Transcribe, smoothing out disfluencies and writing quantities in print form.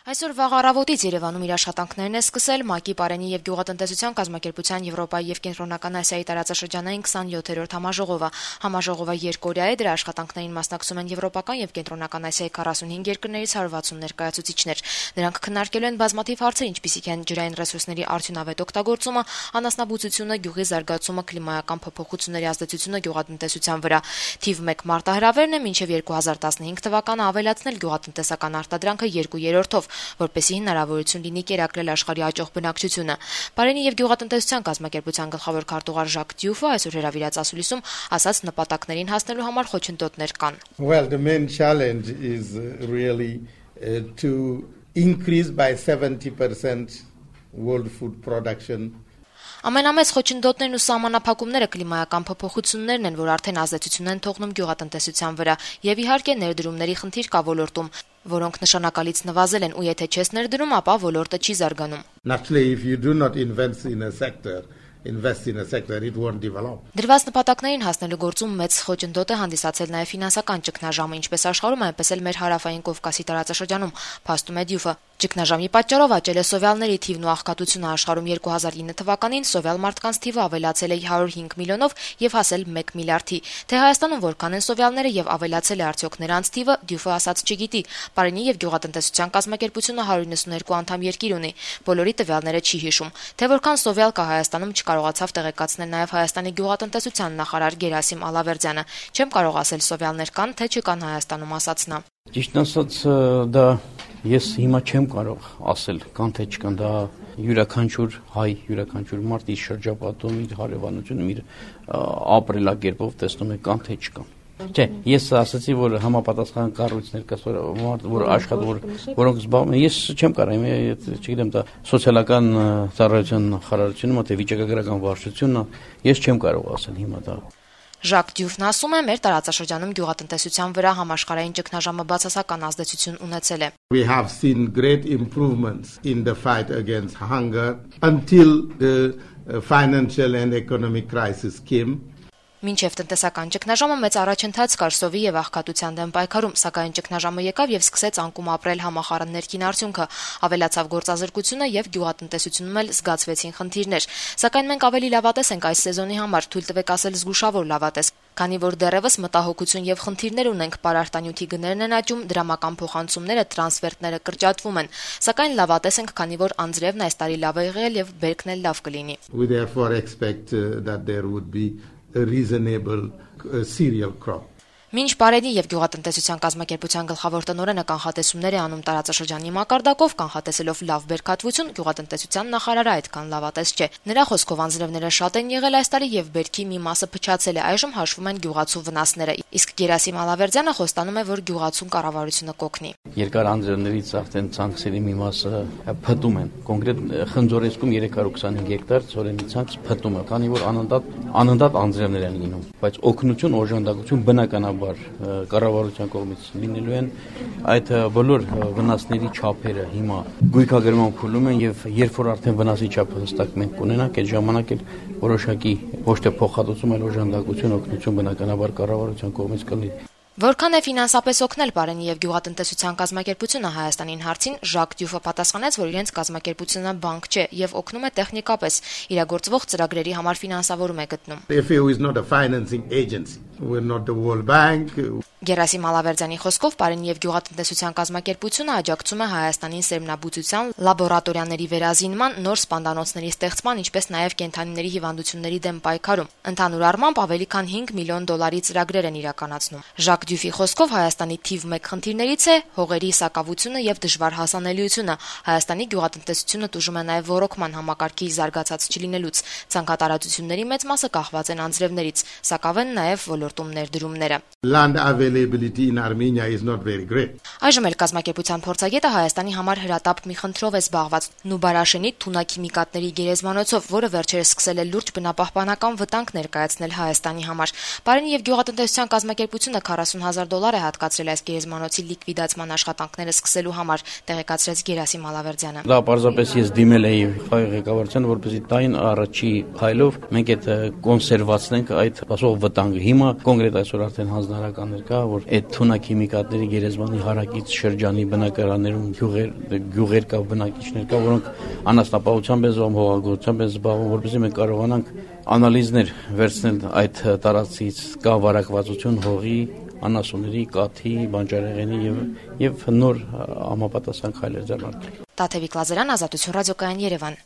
Այսօր վաղ առավոտից Երևանում իր աշխատանքներն է սկսել ՄԱԿ-ի Պարենի եւ գյուղատնտեսության կազմակերպության Եվրոպայի եւ Կենտրոնական Ասիայի տարածաշրջանային 27-րդ համաժողովը։ Համաժողովը երկօրյա է, դրա աշխատանքներին մասնակցում են Եվրոպական եւ Կենտրոնական Ասիայի 45 երկրներից 160 ներկայացուցիչներ։ Նրանք քննարկելու են բազմաթիվ հարցեր, ինչպիսիք են ջրային ռեսուրսների արդյունավետ օգտագործումը, անասնաբուծությունը, գյուղի զարգացումը, կլիմայական փոփոխությունների ազդեցությունը գյուղատնտեսության վրա։ Թիվ 1 մարտահրավերն է մինչեւ 2015 թվականը ավելացնել գյուղատնտեսական արտադրանքը 2/3-ով, որպեսզի հնարավորություն լինի կերակրել աշխարհի աճող բնակչությունը։ Պարենի եւ գյուղատնտեսության կազմակերպության գլխավոր քարտուղար Ժակ Դյուֆը այսօր հրավիրած ասուլիսում ասաց նպատակներին հասնելու համար խոչընդոտներ կան։ Well, the main challenge is really to increase by 70% world food production. Ամենամեծ խոչընդոտներն ու սահմանափակումները կլիմայական փոփոխություններն են, որ արդեն ազդեցություն են թողնում գյուղատնտեսության վրա, եւ իհարկե ներդրումների խնդիր կա ոլորտում, որոնք նշանակալից նվազել են, ու եթե չես ներդրում, ապա ոլորտը չի զարգանում։ Naturally, if you do not invest in a sector, it won't develop. Դրված նպատակներին հասնելու գործում մեծ խոչընդոտ է հանդիսացել նաև ֆինանսական ճգնաժամը, ինչպես աշխարհում, այնպես էլ մեր հարավային Կովկասի տարածաշրջանում, փաստում է Դյուֆը։ Ճգնաժամի պատճառով աճել է սովյալների թիվն ու աղքատությունը աշխարհում 2009 թվականին սովյալ մարդկանց թիվը ավելացել է 105 միլիոնով եւ հասել 1 միլիարդի։ Թե Հայաստանում որքան են սովյալները եւ ավելացել է արդյոք նրանց թիվը, Դյուֆը ասաց չգիտի։ Պարենի եւ գյուղատնտեսության կազմակերպությունը 192 անդամ երկիր ունի։ Բոլորի տվյալները չի հիշում։ Թե որքան սովյալ կա Հայաստանում չկարողացավ տեղեկացնել նաև Հայաստանի գյուղատնտեսության նախարար Գերասիմ Ալավերդյանը։ Չեմ կարող ասել սովյալներ կան, թե չկան Հայաստանում, ասաց նա։ Ճիշտ ասած, դա ես հիմա չեմ կարող ասել, կան թե չկան, դա յուրաքանչյուր հայ, յուրաքանչյուր մարդ իր շրջապատում, իր հարևանությունում, իր ապրելակերպով տեսնում է կան թե չկան։ Չէ, ես ասացի, որ համապատասխան կառույցներ կա, որ աշխատում, որոնք զբաղվում են, ես չեմ կարող, չգիտեմ, դա սոցիալական ծառայության նախարարությունը, թե վիճակագրական վարչությունն է, ես չեմ կարող ասել հիմա դա։ Ժակ Դյուֆն ասում է, մեր տարածաշրջանում գյուղատնտեսության վրա համաշխարհային ճգնաժամը բացասական ազդեցություն ունեցել է։ We have seen great improvements in the fight against hunger until the financial and economic crisis came. Մինչև տնտեսական ճգնաժամը մեծ առաջընթաց կար սովի եւ աղքատության դեմ պայքարում, սակայն ճգնաժամը եկավ եւ սկսեց անկում ապրել համախառն ներքին արդյունքը, ավելացավ գործազրկությունը եւ գյուղատնտեսությունում էլ զգացվեցին խնդիրներ։ Սակայն մենք ավելի լավատես ենք այս սեզոնի համար, թույլ տվեք ասել զգուշավոր լավատես, քանի որ դեռևս մտահոգություն եւ խնդիրներ ունենք, պարարտանյութի գներն են աճում, դրամական փոխանցումները, տրանսֆերտները կրճատվում են, սակայն լավատես ենք, քանի որ անձրևն այս տարի լավ է եղել եւ բերքն էլ լավ կլինի։ We therefore expect that there would be a reasonable cereal crop. Մինչ Պարենի եւ գյուղատնտեսության կազմակերպության գլխավոր տնօրենը կանխատեսումներ է անում տարածաշրջանի մակարդակով, կանխատեսելով լավ բերքատվություն, գյուղատնտեսության նախարարը այդքան լավատես չէ։ Նրա խոսքով անձրևները շատ են եղել այս տարի եւ բերքի մի մասը փչացել է, այժմ հաշվում են գյուղացու վնասները, իսկ Գերասիմ Ալավերդյանը խոստանում է, որ գյուղացուն կառավարությունը կօգնի։ Երկար անձրևներից արդեն ցանքսերի մի մասը փտում են, կոնկրետ Խնձորեսկում 325 հեկտար ծորենի ցանց փտում է, քանի որ անընդհատ անձրևներ են լինում, բայց օգնություն, օժանդակություն բնականաբար կառավարության կողմից լինելու են, այդ բոլոր վնասների չափերը հիմա գույքագրման փուլում են եւ երբ որ արդեն վնասի չափը հստակ մենք կունենանք, այդ ժամանակ էլ որոշակի ոչ թե փոխհատուցում, այլ օժանդակություն, օգնություն բնականաբար կառավարության կողմից կլինի։ Որքան է ֆինանսապես օգնել Պարենի եւ գյուղատնտեսության կազմակերպությունը Հայաստանին հարցին, Ժակ Դյուֆը պատասխանեց, որ իրենց կազմակերպությունը բանկ չէ եւ օգնում է տեխնիկապես, իրագործվող ծրագրերի համար ֆինանսավորում է գտնում։ FAO is not a financing agency. We're not the World Bank. Գերասիմ Ալավերդյանի խոսքով Պարենի եւ գյուղատնտեսության կազմակերպությունը աջակցում է Հայաստանին սերմնաբուծության, լաբորատորիաների վերազինման, նոր սպանդանոցների ստեղծման, ինչպես նաեւ կենդանիների հիվանդությունների դեմ պայքարում։ Ընդհանուր առմամբ ավելի քան 5 միլիոն դոլարի ծրագրեր են իրականացնում։ Ժակ Դյուֆի խոսքով Հայաստանի թիվ 1 խնդիրներից է հողերի սակավությունը եւ դժվար հասանելիությունը։ Հայաստանի գյուղատնտեսությունը տուժում է նաեւ ոռոգման համակարգի զարգացած չլինելուց։ Ցանկատարածությունների մեծ մասը կախված են անձրևներից, սակավ են նաեւ ոլորտում ներդրումները։ Land availability in Armenia is not very great. Այժմ էլ կազմակերպության փորձագետը Հայաստանի համար հրատապ մի խնդրով է զբաղված՝ Նուբարաշենի թունաքիմիկատների գերեզմանոցով, որը վերջերս սկսել է լուրջ բնապահպանական վտանգ ներկայացնել Հայաստանի համար։ Պարենի եւ գյուղատնտեսության կազմակերպությունը $40,000 է հատկացրել այս գերեզմանոցի լիկվիդացման աշխատանքները սկսելու համար, տեղեկացրեց Գերասիմ Ալավերդյանը։ Դա պարզապես ես դիմել էի ղեկավարությանը, որպեսզի տային առաջի փայլով մենք այդ կոնսերվացնենք այդ ասող վտանգը։ Հիմա կոնկրետ այսօր արդեն հանձնարարականներ կա, կա, որ այդ թունաքիմիկատների գերեզմանի հարակից շրջանի բնակարաններում գյուղեր կա, բնակիչներ կա, որոնք անասնապահությամբ են զբաղվում, հողագործությամբ են զբաղվում, որպեսզի մենք կարողանանք անալիզներ վերցնել այդ տարածքից, կա վարակվածություն հողի, անասունների, կաթի, բանջարեղենի եւ նոր համապատասխան քայլեր ձեռնարկել։ Տաթևիկ Լազարյան, Ազատություն ռադիոկայան, Երևան։